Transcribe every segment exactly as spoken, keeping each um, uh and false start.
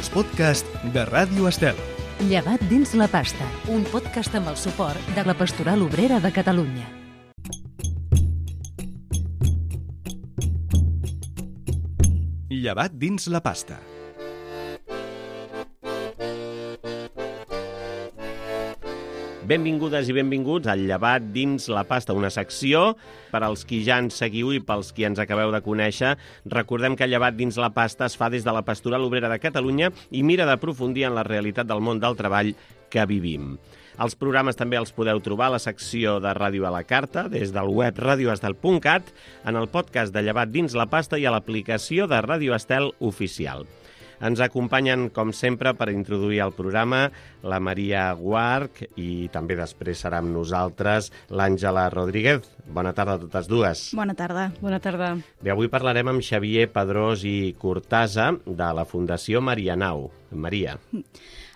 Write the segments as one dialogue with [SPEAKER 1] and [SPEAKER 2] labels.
[SPEAKER 1] els podcasts de Ràdio Estel.
[SPEAKER 2] Llevat dins la pasta, un podcast amb el suport de la Pastoral Obrera de Catalunya.
[SPEAKER 1] Llevat dins la pasta.
[SPEAKER 3] Benvingudes i benvinguts al Llevat dins la pasta, una secció per als qui ja ens seguiu i pels qui ens acabeu de conèixer. Recordem que el Llevat dins la pasta es fa des de la Pastoral Obrera de Catalunya i mira d'aprofundir en la realitat del món del treball que vivim. Els programes també els podeu trobar a la secció de Ràdio a la Carta, des del web radioestel punt cat, en el podcast de Llevat dins la pasta i a l'aplicació de Ràdio Estel oficial. Ens acompanyen, com sempre, per introduir el programa la Maria Guarch i també després serà amb nosaltres l'Àngela Rodríguez. Bona tarda a totes dues.
[SPEAKER 4] Bona tarda.
[SPEAKER 5] Bona tarda.
[SPEAKER 3] Bé, avui parlarem amb Xavier Padrós i Cortasa de la Fundació Marianao. Maria.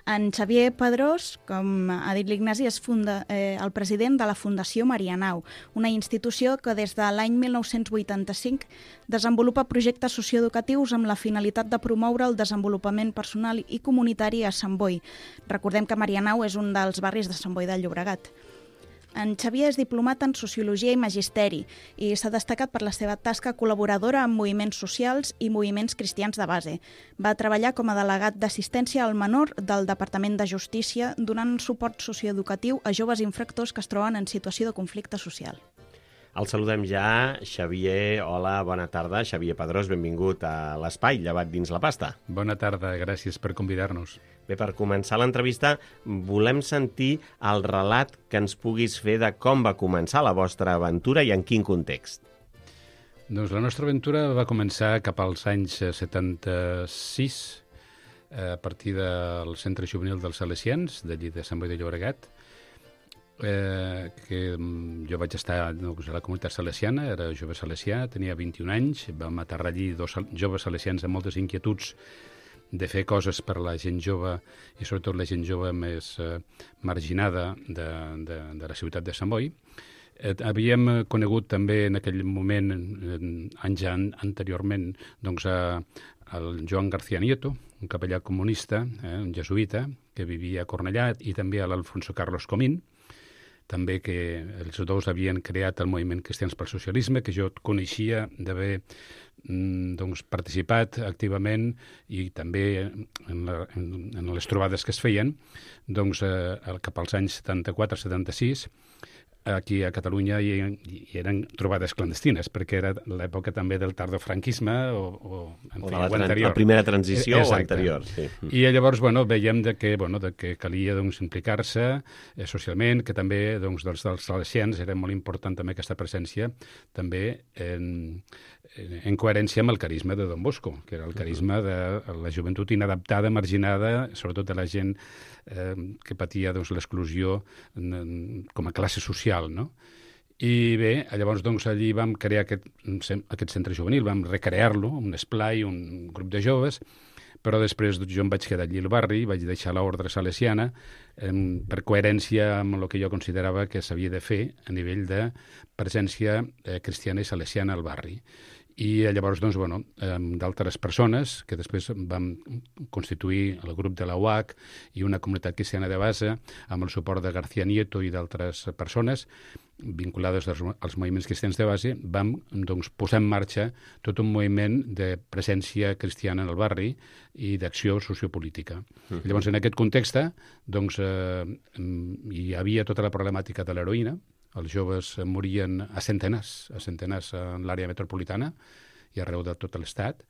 [SPEAKER 4] En Xavier Padrós, com ha dit l'Ignasi, és funda, eh, el president de la Fundació Marianao, una institució que des de l'any mil nou-cents vuitanta-cinc desenvolupa projectes socioeducatius amb la finalitat de promoure el desenvolupament personal i comunitari a Sant Boi. Recordem que Marianao és un dels barris de Sant Boi de Llobregat. En Xavier és diplomat en Sociologia i Magisteri i s'ha destacat per la seva tasca col·laboradora amb moviments socials i moviments cristians de base. Va treballar com a delegat d'assistència al menor del Departament de Justícia donant suport socioeducatiu a joves infractors que es troben en situació de conflicte social.
[SPEAKER 3] El saludem ja. Xavier, hola, bona tarda. Xavier Padrós, benvingut a l'Espai Llevat dins la pasta.
[SPEAKER 6] Bona tarda, gràcies per convidar-nos.
[SPEAKER 3] Bé, per començar l'entrevista, volem sentir el relat que ens puguis fer de com va començar la vostra aventura i en quin context.
[SPEAKER 6] Doncs la nostra aventura va començar cap als anys setanta-sis, a partir del Centre Juvenil dels Salesians, d'allí de Sant Boi de Llobregat, eh, que jo vaig estar doncs, a la comunitat salesiana, era jove salesià, tenia vint-i-un anys, vam aterrar allí dos joves salesians amb moltes inquietuds de fer coses per la gent jove i sobretot la gent jove més eh, marginada de, de, de la ciutat de Sant Boi. Eh, havíem conegut també en aquell moment, eh, anys an, anteriorment, doncs, a, el Joan García Nieto, un capellà comunista, eh, un jesuïta, que vivia a Cornellà, i també a l'Alfonso Carlos Comín, també que els dos havien creat el moviment Cristians pel Socialisme, que jo coneixia d'haver doncs, participat activament i també en, la, en, en les trobades que es feien doncs, eh, cap als anys setanta-quatre setanta-sis. Aquí a Catalunya hi, hi eren trobades clandestines, perquè era l'època també del tardofranquisme o, o, en
[SPEAKER 3] o
[SPEAKER 6] fi,
[SPEAKER 3] de la,
[SPEAKER 6] o anterior.
[SPEAKER 3] La primera transició.
[SPEAKER 6] Exacte.
[SPEAKER 3] O anterior. Sí.
[SPEAKER 6] I llavors bueno, veiem de que, bueno, de que calia doncs, implicar-se eh, socialment, que també doncs, dels, dels salesians era molt important també aquesta presència, també en, en coherència amb el carisma de Don Bosco, que era el carisma de la joventut inadaptada, marginada, sobretot de la gent eh, que patia doncs, l'exclusió com a classe social. No? I bé, llavors doncs, allí vam crear aquest, aquest centre juvenil, vam recrear-lo, un esplai, un grup de joves, però després jo em vaig quedar allí al barri, vaig deixar l'ordre salesiana eh, per coherència amb el que jo considerava que s'havia de fer a nivell de presència eh, cristiana i salesiana al barri. I llavors, doncs, bueno, d'altres persones, que després vam constituir el grup de la U A C i una comunitat cristiana de base, amb el suport de García Nieto i d'altres persones vinculades als, als moviments cristians de base, vam doncs, posar en marxa tot un moviment de presència cristiana en el barri i d'acció sociopolítica. Uh-huh. Llavors, en aquest context, doncs, eh, hi havia tota la problemàtica de l'heroïna. Els joves morien a centenars, a centenars en l'àrea metropolitana i arreu de tot l'estat,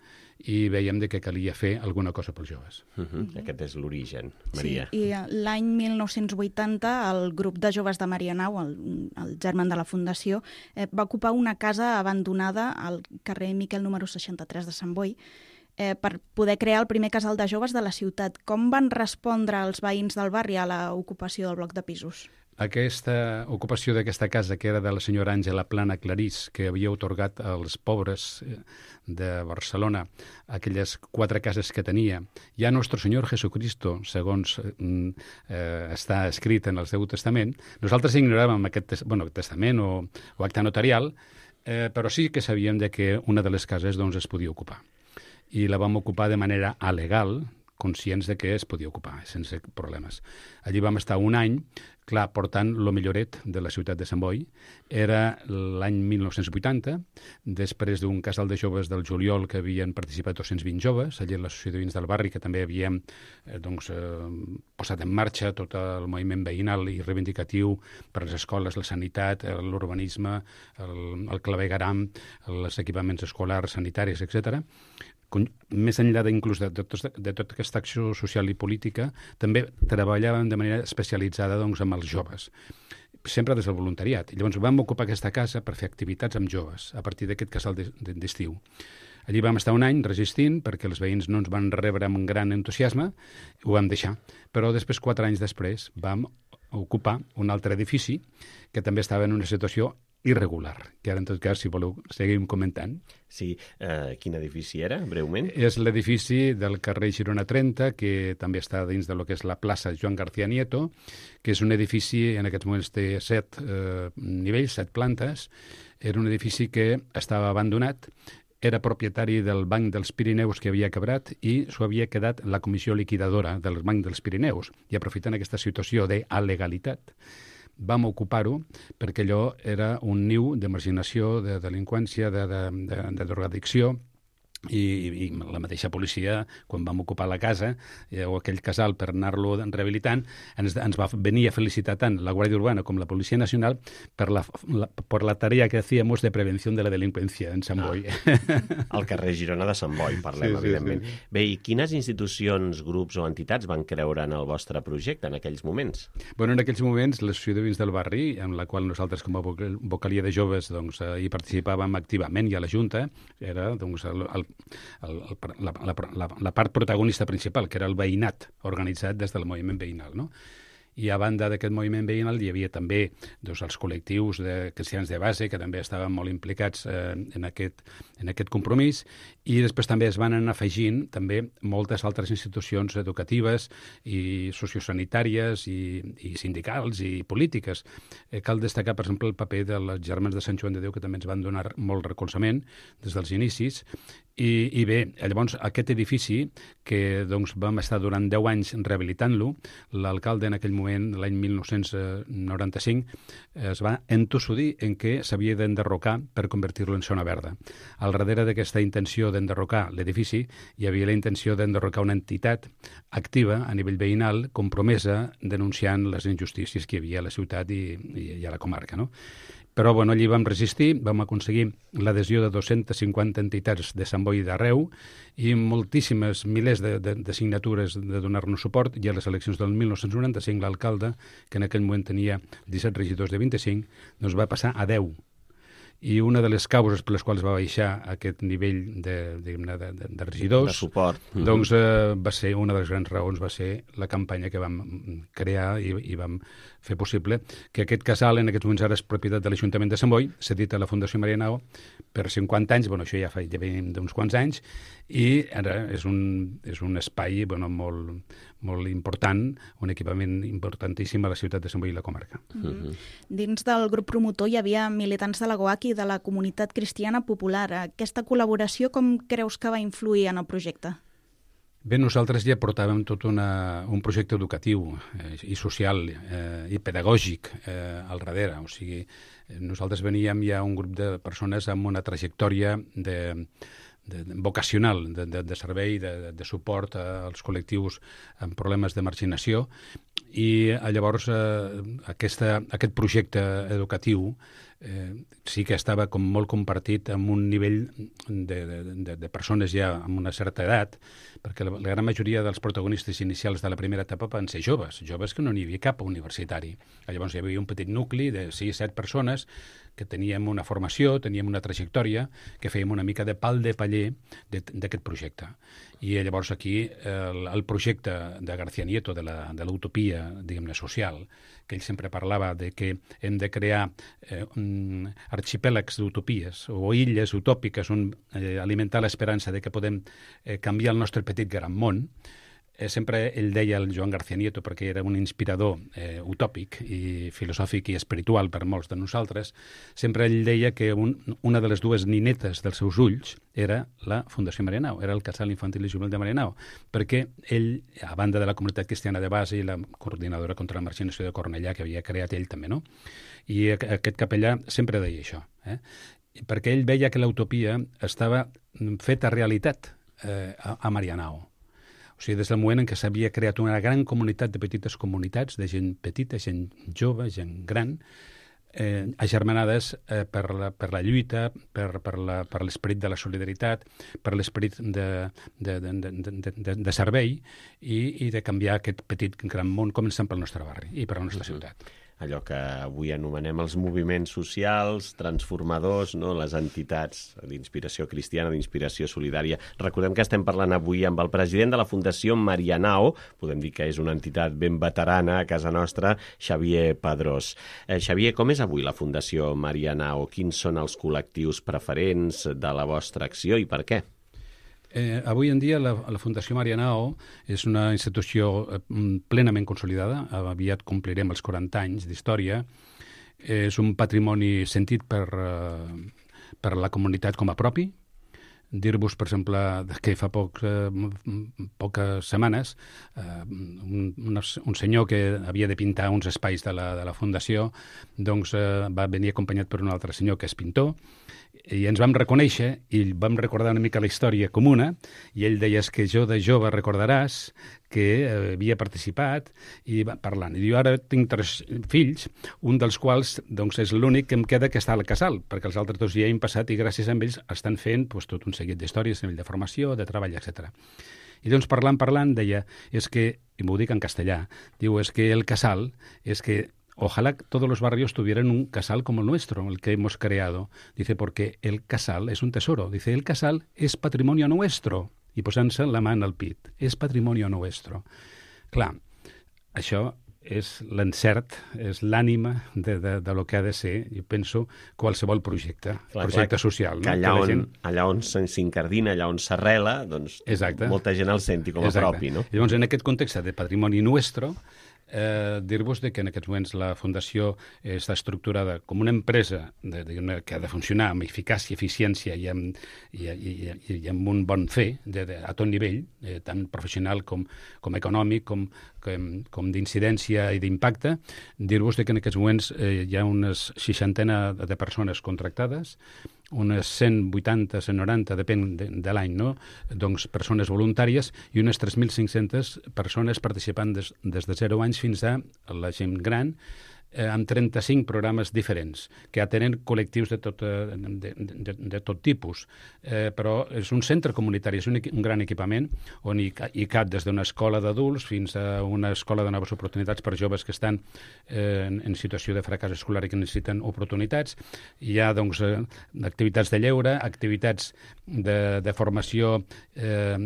[SPEAKER 6] i veiem de que calia fer alguna cosa pels joves.
[SPEAKER 3] Uh -huh. Aquest és l'origen, Maria.
[SPEAKER 4] Sí, i l'any mil nou-cents vuitanta el grup de joves de Marianao, el, el germen de la Fundació, eh, va ocupar una casa abandonada al carrer Miquel número seixanta-tres de Sant Boi, eh, per poder crear el primer casal de joves de la ciutat. Com van respondre els veïns del barri a l'ocupació del bloc de pisos?
[SPEAKER 6] Aquesta ocupació d'aquesta casa, que era de la senyora Àngela Plana Clarís, que havia otorgat als pobres de Barcelona aquelles quatre cases que tenia, ja Nostre Senyor Jesucristo, segons eh, està escrit en el Seu Testament, nosaltres ignoràvem aquest bueno, testament o, o acte notarial, eh, però sí que sabíem de que una de les cases doncs, es podia ocupar. I la vam ocupar de manera alegal, conscients de que es podia ocupar sense problemes. Allí vam estar un any, clar, portant lo milloret de la ciutat de Sant Boi. Era l'any mil nou-cents vuitanta, després d'un casal de joves del juliol que havien participat dos-cents vint joves, allí a l'associació de veïns del barri, que també havíem eh, doncs, eh, posat en marxa tot el moviment veïnal i reivindicatiu per les escoles, la sanitat, l'urbanisme, el, el clavegueram, els equipaments escolars, sanitaris, etcètera. Més enllà d'inclús de, de, de, de tota aquesta acció social i política, també treballàvem de manera especialitzada doncs, amb els joves, sempre des del voluntariat. I llavors vam ocupar aquesta casa per fer activitats amb joves, a partir d'aquest casal d'estiu. Allí vam estar un any resistint, perquè els veïns no ens van rebre amb un gran entusiasme, ho vam deixar. Però després, quatre anys després, vam ocupar un altre edifici que també estava en una situació irregular, que ara, en tot cas, si voleu, seguim comentant.
[SPEAKER 3] Sí, eh, quin edifici era, breument?
[SPEAKER 6] És l'edifici del carrer Girona trenta, que també està dins de lo que és la plaça Joan García Nieto, que és un edifici, en aquests moments té set eh, nivells, set plantes. Era un edifici que estava abandonat, era propietari del Banc dels Pirineus que havia quebrat i s'ho havia quedat la comissió liquidadora del Banc dels Pirineus. I aprofitant aquesta situació d'alegalitat, vam ocupar-ho perquè allò era un niu de marginació, de delinqüència, de, de, de, de drogadicció, i, i la mateixa policia, quan vam ocupar la casa eh, o aquell casal per anar-lo rehabilitant, ens, ens va venir a felicitar tant la Guàrdia Urbana com la Policia Nacional per la, la, per la tarea que hacíamos de prevenció de la delinqüència en Sant Boi.
[SPEAKER 3] Ah, al carrer Girona de Sant Boi, parlem, sí, sí, evidentment. Sí, sí. Bé, i quines institucions, grups o entitats van creure en el vostre projecte en aquells moments?
[SPEAKER 6] Bueno, en aquells moments, l'Associació de Veïns del Barri, en la qual nosaltres com a vocalia de joves doncs, hi participàvem activament, i a la Junta, era doncs, el, el El, el, la, la, la part protagonista principal, que era el veïnat organitzat des del moviment veïnal, no? I a banda d'aquest moviment veïnal hi havia també doncs, els col·lectius de cristians de base, que també estaven molt implicats eh, en, aquest, en aquest compromís, i després també es van anar afegint també moltes altres institucions educatives i sociosanitàries i, i sindicals i polítiques. Eh, cal destacar, per exemple, el paper de les Germans de Sant Joan de Déu, que també ens van donar molt recolzament des dels inicis. I, i bé, llavors aquest edifici, que doncs, vam estar durant deu anys rehabilitant-lo, l'alcalde en aquell moment, l'any mil nou-cents noranta-cinc, es va entossudir en què s'havia d'enderrocar per convertir-lo en zona verda. Al darrere d'aquesta intenció d'enderrocar l'edifici hi havia la intenció d'enderrocar una entitat activa a nivell veïnal, compromesa, denunciant les injustícies que hi havia a la ciutat i, i, i a la comarca, no? Però bueno, allí vam resistir, vam aconseguir l'adhesió de dues-centes cinquanta entitats de Sant Boi d'arreu i moltíssimes, milers de, de, de signatures de donar-nos suport, i a les eleccions del mil nou-cents noranta-cinc l'alcalde, que en aquell moment tenia disset regidors de vint-i-cinc, doncs va passar a deu. I una de les causes per les quals va baixar aquest nivell de, de, de, de regidors,
[SPEAKER 3] de suport,
[SPEAKER 6] doncs eh, va ser una de les grans raons, va ser la campanya que vam crear i, i vam fer possible que aquest casal, en aquests moments ara és propietat de l'Ajuntament de Sant Boi, cedit a la Fundació Marianao per cinquanta anys, bueno, això ja fa ja d'uns quants anys, i ara és un, és un espai bueno, molt, molt important, un equipament importantíssim a la ciutat de Sant Boi i la comarca.
[SPEAKER 4] Mm-hmm. Dins del grup promotor hi havia militants de la GOAC i de la comunitat cristiana popular. Aquesta col·laboració com creus que va influir en el projecte?
[SPEAKER 6] Bé, nosaltres ja portàvem tot una, un projecte educatiu eh, i social eh, i pedagògic eh, al darrere. O sigui, nosaltres veníem ja un grup de persones amb una trajectòria de... De, de, vocacional, de, de, de servei, de, de suport als col·lectius amb problemes de marginació, i llavors eh, aquesta, aquest projecte educatiu eh, sí que estava com molt compartit amb un nivell de, de, de, de persones ja amb una certa edat, perquè la, la gran majoria dels protagonistes inicials de la primera etapa van ser joves, joves que no n'hi havia cap universitari. Llavors hi havia un petit nucli de sis set persones que teníem una formació, teníem una trajectòria, que fèiem una mica de pal de paller d'aquest projecte. I llavors aquí el, el projecte de García Nieto, de l'utopia, diguem-ne, social, que ell sempre parlava de que hem de crear eh, um, arxipèlags d'utopies o illes utòpiques on eh, alimentar l'esperança de que podem eh, canviar el nostre petit gran món, eh, sempre ell deia, el Joan García Nieto, perquè era un inspirador eh, utòpic i filosòfic i espiritual per molts de nosaltres, sempre ell deia que un, una de les dues ninetes dels seus ulls era la Fundació Marianao, era el casal infantil i juvenil de Marianao, perquè ell, a banda de la comunitat cristiana de base i la coordinadora contra la marginació de Cornellà, que havia creat ell també, no? I aquest capellà sempre deia això, eh? Perquè ell veia que l'utopia estava feta realitat eh, a, a Marianao. O sigui, des del moment en què s'havia creat una gran comunitat de petites comunitats, de gent petita, gent jove, gent gran, eh, agermanades eh, per, la, per la lluita, per, per, la, per l'esperit de la solidaritat, per l'esperit de, de, de, de, de, de, de servei i, i de canviar aquest petit gran món, començant pel nostre barri i per la nostra ciutat.
[SPEAKER 3] Allò que avui anomenem els moviments socials, transformadors, no? Les entitats d'inspiració cristiana, d'inspiració solidària. Recordem que estem parlant avui amb el president de la Fundació Marianao, podem dir que és una entitat ben veterana a casa nostra, Xavier Padrós. Eh, Xavier, com és avui la Fundació Marianao? Quins són els col·lectius preferents de la vostra acció i per què?
[SPEAKER 6] Eh, avui en dia la, la Fundació Marianao és una institució eh, plenament consolidada, aviat complirem els quaranta anys d'història, eh, és un patrimoni sentit per, eh, per la comunitat com a propi. Dir-vos, per exemple, que fa poc, eh, poques setmanes eh, un, un senyor que havia de pintar uns espais de la, de la Fundació doncs, eh, va venir acompanyat per un altre senyor que és pintor, i ens vam reconèixer i vam recordar una mica la història comuna, i ell deia que jo de jove recordaràs que eh, havia participat i va parlant. I jo ara tinc tres fills, un dels quals doncs, és l'únic que em queda que està al casal, perquè els altres dos ja han passat i gràcies a ells estan fent doncs, tot un seguit d'històries a nivell de formació, de treball, etcètera. I doncs parlant, parlant, deia, és que, i m'ho dic en castellà, diu, és que el casal, és que ojalá todos los barrios tuvieran un casal como el nuestro, el que hemos creado. Dice, porque el casal es un tesoro. Dice, el casal es patrimonio nuestro. I posant-se la mà al pit. És patrimonio nuestro. Clar, això és l'encert, és l'ànima de, de, de lo que ha de ser, jo penso, qualsevol projecte, clar, projecte clar, social.
[SPEAKER 3] Que allà, no? que on, gent... allà on s'incardina, allà on s'arrela, doncs Exacte. molta gent el senti com a Exacte. propi, no?
[SPEAKER 6] Llavors, en aquest context de patrimoni nuestro, Eh, dir-vos que en aquests moments la Fundació està estructurada com una empresa de, de, que ha de funcionar amb eficàcia, eficiència i amb, i, i, i, i amb un bon fer de, de, a tot nivell, eh, tant professional com, com econòmic, com, com, com d'incidència i d'impacte. Dir-vos que en aquests moments eh, hi ha unes seixantena de persones contractades, unes cent vuitanta, cent noranta, depèn de, de l'any, no? Doncs persones voluntàries i unes tres mil cinc-centes persones participant des, des de zero anys fins a la gent gran, eh, amb trenta-cinc programes diferents, que atenen col·lectius de tot, de, de, de tot tipus. Eh, però és un centre comunitari, és un, un gran equipament on hi, hi cap des d'una escola d'adults fins a una escola de noves oportunitats per joves que estan eh, en, en situació de fracàs escolar i que necessiten oportunitats. Hi ha doncs, eh, activitats de lleure, activitats de, de formació eh,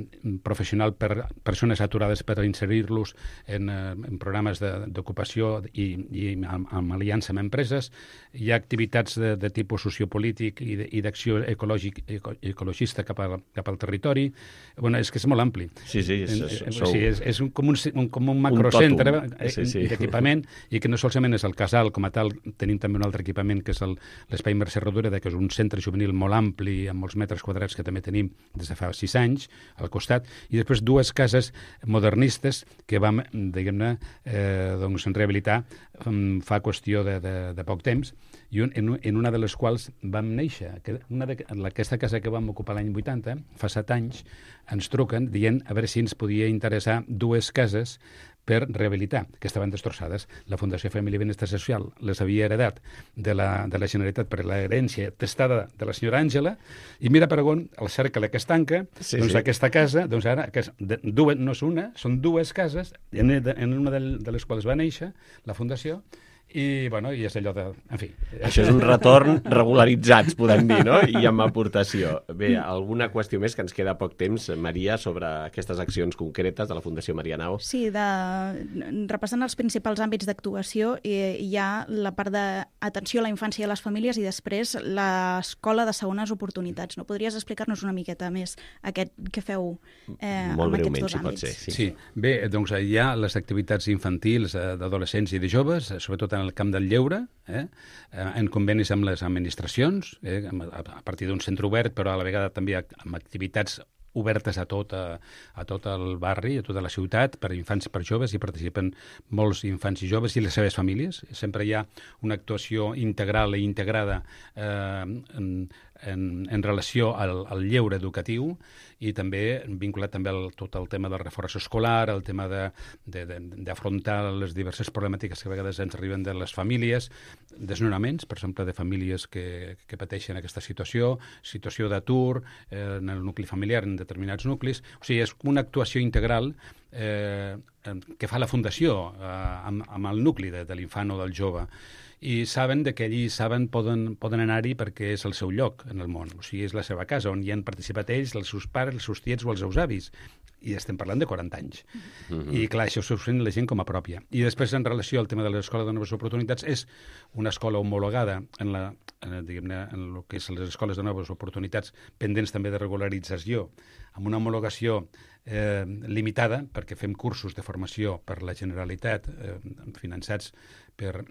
[SPEAKER 6] professional per persones aturades per inserir-los en, eh, en programes d'ocupació i, i amb, amb aliança amb empreses. Hi ha activitats de, de tipus sociopolític i d'acció ecològic, eco, ecologista cap, a, cap al territori. Bueno, és que és molt ampli.
[SPEAKER 3] Sí, sí. És, és,
[SPEAKER 6] és, sí, és, és un, com, un, un, com un macrocentre
[SPEAKER 3] un sí, sí.
[SPEAKER 6] d'equipament i que no solament és el casal com a tal, tenim també un altre equipament que és l'Espai Mercè Rodoreda, que és un centre juvenil molt ampli, amb molts metres quadrats que també tenim des de fa sis anys al costat, i després dues cases modernistes que vam, diguem-ne, eh, doncs, rehabilitar um, fa qüestió de, de, de poc temps, i un, en, en una de les quals vam néixer. Que una de, aquesta casa que vam ocupar l'any vuitanta, fa set anys, ens truquen dient a veure si ens podia interessar dues cases per rehabilitar, que estaven destrossades. La Fundació Família i Benestar Social les havia heredat de la, de la Generalitat per l'herència testada de la senyora Àngela, i mira per on el cercle que es tanca, sí, doncs sí. aquesta casa, doncs ara, que és de, dues, no és una, són dues cases, en, en una de, de les quals va néixer la Fundació, I, bueno, i és allò de... En fi.
[SPEAKER 3] Això és un retorn regularitzats, podem dir, no? I amb aportació. Bé, alguna qüestió més, que ens queda poc temps, Maria, sobre aquestes accions concretes de la Fundació Marianao?
[SPEAKER 4] Sí, de... repassant els principals àmbits d'actuació, hi ha la part d'atenció a la infància i a les famílies i després l'escola de segones oportunitats. No podries explicar-nos una miqueta més aquest, què feu eh,
[SPEAKER 3] Molt
[SPEAKER 4] amb
[SPEAKER 3] breument,
[SPEAKER 4] aquests dos
[SPEAKER 3] si pot
[SPEAKER 4] àmbits?
[SPEAKER 3] ser. Sí.
[SPEAKER 6] Sí, bé, doncs hi ha les activitats infantils, eh, d'adolescents i de joves, sobretot en el camp del lleure, eh, en convenis amb les administracions, eh, a partir d'un centre obert, però a la vegada també amb activitats obertes a tot, a, a tot el barri, a tota la ciutat, per infants i per joves, i participen molts infants i joves i les seves famílies. Sempre hi ha una actuació integral i integrada eh, en, en, en relació al, al lleure educatiu i també vinculat també al tot el tema del reforç escolar, el tema d'afrontar les diverses problemàtiques que a vegades ens arriben de les famílies, desnonaments, per exemple, de famílies que, que pateixen aquesta situació, situació d'atur eh, en el nucli familiar, en determinats nuclis. O sigui, és una actuació integral eh, que fa la Fundació eh, amb, amb el nucli de, de l'infant o del jove. I saben de que allí saben poden, poden anar-hi perquè és el seu lloc en el món, o sigui, és la seva casa, on hi han participat ells, els seus pares, els seus tiets o els seus avis. I estem parlant de quaranta anys. Mm-hmm. I, clar, això s'ho sent la gent com a pròpia. I després, en relació al tema de l'Escola de Noves Oportunitats, és una escola homologada en, la, en, diguem-ne, en el que és les escoles de noves oportunitats, pendents també de regularització, amb una homologació eh, limitada, perquè fem cursos de formació per la Generalitat, eh, finançats per...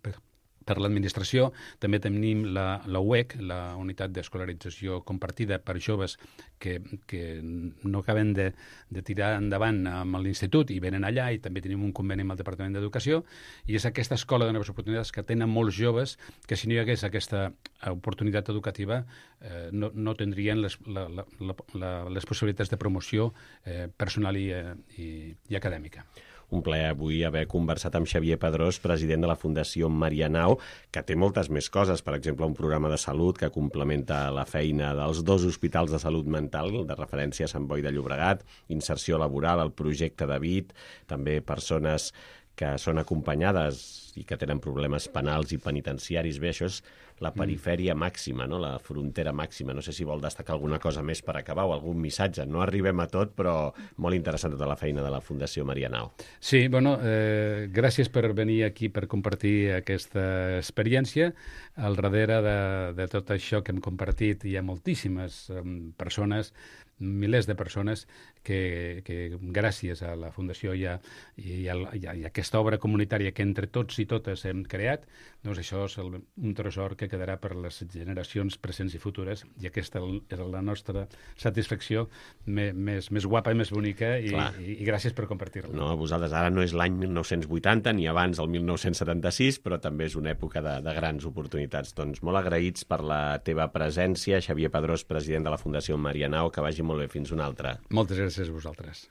[SPEAKER 6] per per l'administració. També tenim la, la U E C, la Unitat d'Escolarització Compartida per Joves que, que no acaben de, de tirar endavant amb l'institut i venen allà, i també tenim un conveni amb el Departament d'Educació, i és aquesta escola de noves oportunitats que tenen molts joves que, si no hi hagués aquesta oportunitat educativa, eh, no, no tindrien les, la, la, la, les possibilitats de promoció eh, personal i, i, i acadèmica.
[SPEAKER 3] Un plaer avui haver conversat amb Xavier Padrós, president de la Fundació Marianao, que té moltes més coses, per exemple, un programa de salut que complementa la feina dels dos hospitals de salut mental de referència a Sant Boi de Llobregat, inserció laboral, el projecte David, també persones que són acompanyades i que tenen problemes penals i penitenciaris. Bé, això és la perifèria màxima, no? La frontera màxima. No sé si vol destacar alguna cosa més per acabar o algun missatge. No arribem a tot, però molt interessant tota la feina de la Fundació Marianao.
[SPEAKER 6] Sí, bueno, eh, gràcies per venir aquí per compartir aquesta experiència. Al darrere de, de tot això que hem compartit hi ha moltíssimes eh, persones, milers de persones que, que gràcies a la Fundació i a, i, a, i a aquesta obra comunitària que entre tots i totes hem creat, doncs això és el, un tresor que quedarà per les generacions presents i futures, i aquesta és la nostra satisfacció me, més, més guapa i més bonica, i, i, i gràcies per compartir-la.
[SPEAKER 3] No, a vosaltres ara no és l'any mil nou-cents vuitanta ni abans del mil nou-cents setanta-sis, però també és una època de, de grans oportunitats. Doncs molt agraïts per la teva presència, Xavier Padrós, president de la Fundació Marianao, que vagi molt bé, fins una altra.
[SPEAKER 6] Moltes gràcies a vosaltres.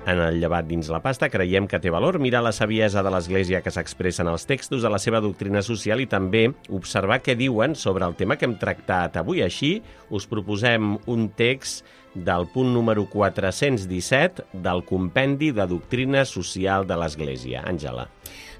[SPEAKER 3] En el Llevat dins la pasta creiem que té valor mirar la saviesa de l'Església que s'expressa en els textos de la seva doctrina social i també observar què diuen sobre el tema que hem tractat avui. Així, us proposem un text del punt número quatre-cents disset del Compendi de Doctrina Social de l'Església. Àngela.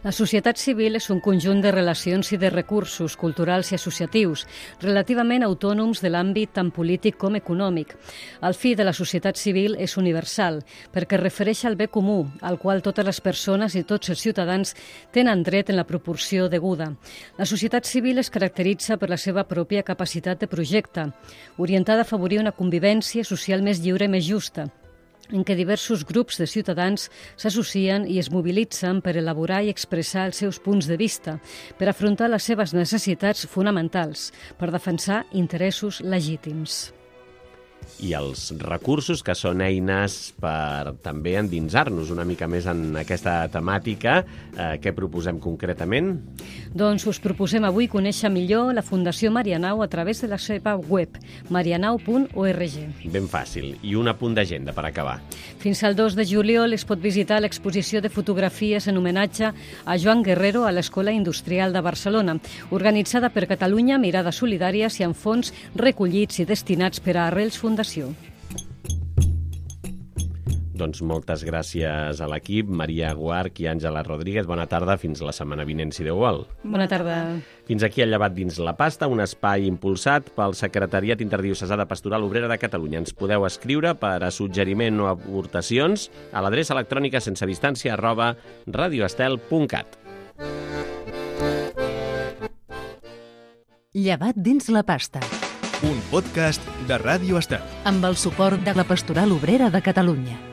[SPEAKER 5] La societat civil és un conjunt de relacions i de recursos culturals i associatius, relativament autònoms de l'àmbit tant polític com econòmic. El fi de la societat civil és universal, perquè refereix al bé comú, al qual totes les persones i tots els ciutadans tenen dret en la proporció deguda. La societat civil es caracteritza per la seva pròpia capacitat de projecte, orientada a afavorir una convivència social més lliure i més justa, en què diversos grups de ciutadans s'associen i es mobilitzen per elaborar i expressar els seus punts de vista, per afrontar les seves necessitats fonamentals, per defensar interessos legítims.
[SPEAKER 3] I els recursos que són eines per també endinsar-nos una mica més en aquesta temàtica. Eh, què proposem concretament?
[SPEAKER 5] Doncs us proposem avui conèixer millor la Fundació Marianao a través de la seva web, marianao punt org.
[SPEAKER 3] Ben fàcil. I un apunt d'agenda per acabar.
[SPEAKER 5] Fins al dos de juliol es pot visitar l'exposició de fotografies en homenatge a Joan Guerrero a l'Escola Industrial de Barcelona, organitzada per Catalunya Mirades Solidàries i amb fons recollits i destinats per a Arrels Fundació.
[SPEAKER 3] Doncs moltes gràcies a l'equip, Maria Guarch i Àngela Rodríguez. Bona tarda, fins la setmana vinent, si Déu vol.
[SPEAKER 5] Bona tarda.
[SPEAKER 3] Fins aquí el Llevat dins la pasta, un espai impulsat pel Secretariat Interdiocesà de Pastoral Obrera de Catalunya. Ens podeu escriure per a suggeriment o aportacions a l'adreça electrònica sense distància arroba radioestel punt cat.
[SPEAKER 2] Llevat dins la pasta.
[SPEAKER 1] Un podcast de Ràdio Estel.
[SPEAKER 2] Amb el suport de la Pastoral Obrera de Catalunya.